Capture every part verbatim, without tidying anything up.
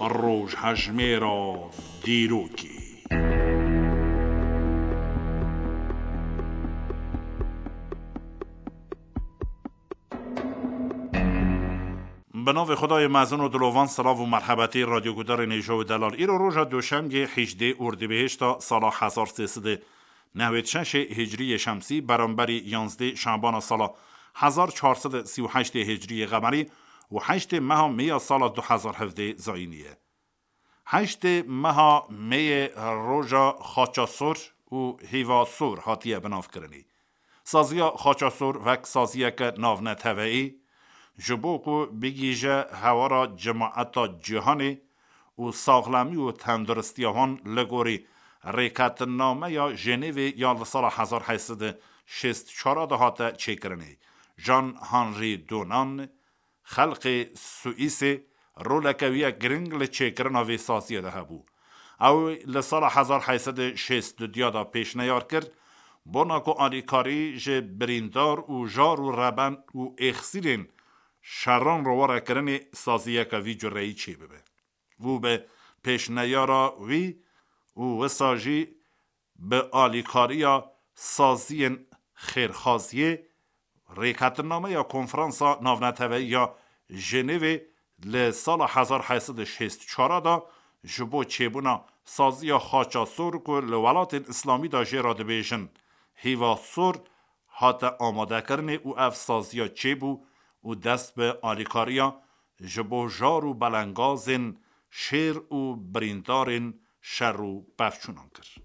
Rojhejmêra dîrokê. Bi navê Xwedayê mezin û dilovan, silav û merhebetî radyogudarên hêja û delal. Îro roja Duşemgê, hejdê Ordîbehişta sala hezar sê sed û newêd şeşê Hicriyê Şemsî, beramberî yanzdê Şabana sala hezar çar sed û sî û heştê Hicriyê Qemerî û heştê meha Mêya sala du hezar hevdê Zayînî ye. Heştê meha Mêyê roja Xaçasor û Hîvasor hatiye binavkirinê. Saziya Xaçasor wek saziyeke navneteweyî, ji bo ku bigihîje hewara cemaeta cîhanê û saxlemî û tenduristiya wan li gorî Rêketinnameya Jenevê ya li sala hezar heyt sed û şêst çar de hate çêkirinê. Jean Henri Dunant, xelkê Swîsê, roleke wî ye giring li çêkirina vê saziyê de hebû. Ew li sala hezar heyt sed û şêst û du de pêşneyar kir, bona ku alîkarî ji birîndar û jar û reben û êxsîrên şeran re were kirinê saziyeke vî cureyî çêbibe. Û bi pêşneyara wî û wisa jî bi alîkariya saziyên xêrxaziyê, Rêketinnameya Konferansa Navneteweyî ya Jenevê li sala hezar heyt sed û şêst çar de ji bo çêbûna saziya Xaça Sor, ku li welatên Îslamî de jê re dibêjin Hîva Sor, hate amadekirinê û ev saziya çêbû û dest bi alîkariya ji bo jar û belengazên şêr û birîndarên şer û pevçûnan kir.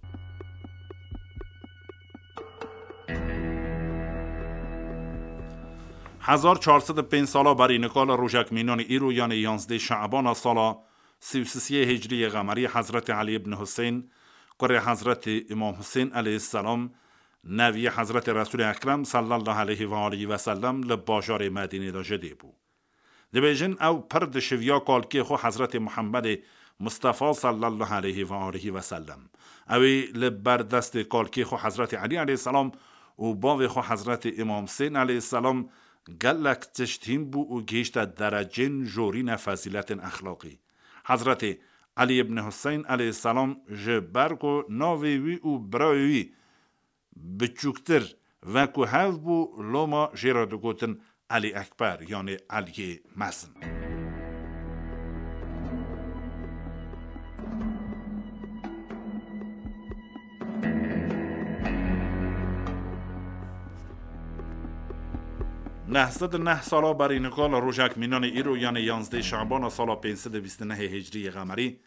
Hezar çar sed û pênc sala berî nika li rojek mînanê îro, yanê yanzdê Şe'bana sala sî û sisiyê Hicriyê Qemerî, Hezretî Elî ibn Huseyn, kurê Hezretî Îmam Husên aleyhisselam, neviyê Hezretî Resûlê Ekrem sallallahu aleyhi ve aleyhi ve sellem, li bajarê Medînê de ji dê bû. Dibêjin, ew pir dişiviya kalkê xwe Hezretê Muhemmedê Mustefa sallallahu aleyhi ve aleyhi ve sellem. Ew ê li ber destê kalkê xwe Hezretê Elî aleyhisselam û bavê xwe Hezretê Îmam Husên aleyhisselam gelek tişt hîn bû û gihîşte derecên jorîne fezîletên exlaqî. Hezretê Elî ibn Huseyn aleyhisselam, ji ber ku navê wî û birayê wî biçûktir ve ku hev bû, loma jê re digotin Elî Ekber, yanê Eliyê Mezin. Neh sed û neh sala berî nika li rojek mînanê îro, yanê yanzdê Şe'bana sala pênc sed û bîst û nehê Hicriyê Qemerî,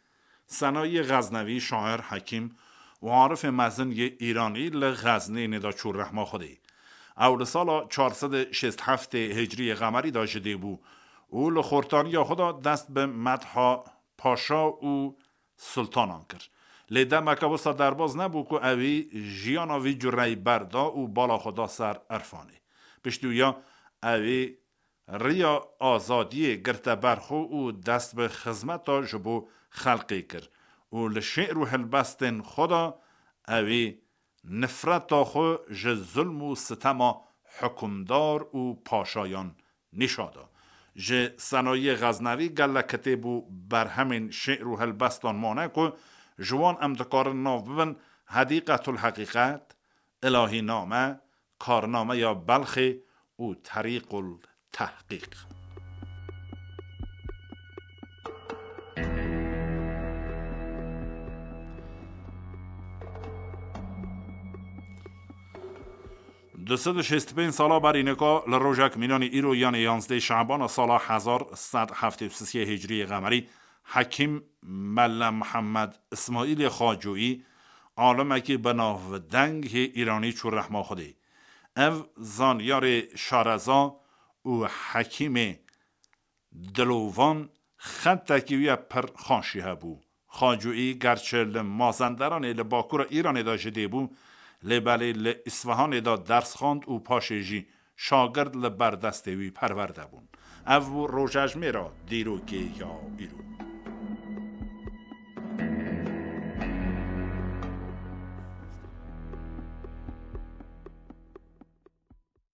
Senayiyê Xeznevî, şair, hekîm û arifê mezin yê Îranî li Xeznînê de çû rehma Xwedê. Ew li sala çar sed û şêst heftê Hicriyê Qemerî de ji dê bû û li xortaniya xwe de dest bi medha paşa û sultanan kir. Lê demeke wisa derbaz nebû ku ewî jiyana vî cureyî berda û bala xwe da ser irfanê. Piştî wîya ewî riya azadiyê girte ber xwe û dest bi xizmeta ji bo xelkê kir û li şê'r û helbestên xwe de ewî nifreta xwe ji zulm û sitema hukimdar û paşayan nîşa da. Ji Senayiyê Xeznevî gelek kitêb û berhemên şê'r û helbestan mane ku ji wan em dikarin nav bibin Hedîqetul Heqîqet, Îlahîname, Karnameya Belxê û Terîqul Tehqîq. Du sed û şêst û pênc sala berî nika li rojek mînanê îro, yanê yanzdê Şe'bana sala hezar sed heftê û sisiyê Hicriyê Qemerî, Hekîm Melle Mihemed Îsmaîlê Xacoyî, alimekî bi navdeng hê Îranî çû rehma Xwedê. Ev zanyarê şareza û hekîmê dilovan xetekî wî ye pir xaşî hebû. Xacoyî gerçi li Mazenderanê li bakura Îranê de ji dê bû, lê belê li Îsfihanê de ders xwend û paşê jî şagird li ber destê wî perwerde bûn. Ev bû rojejmêra dîrokê ya îro.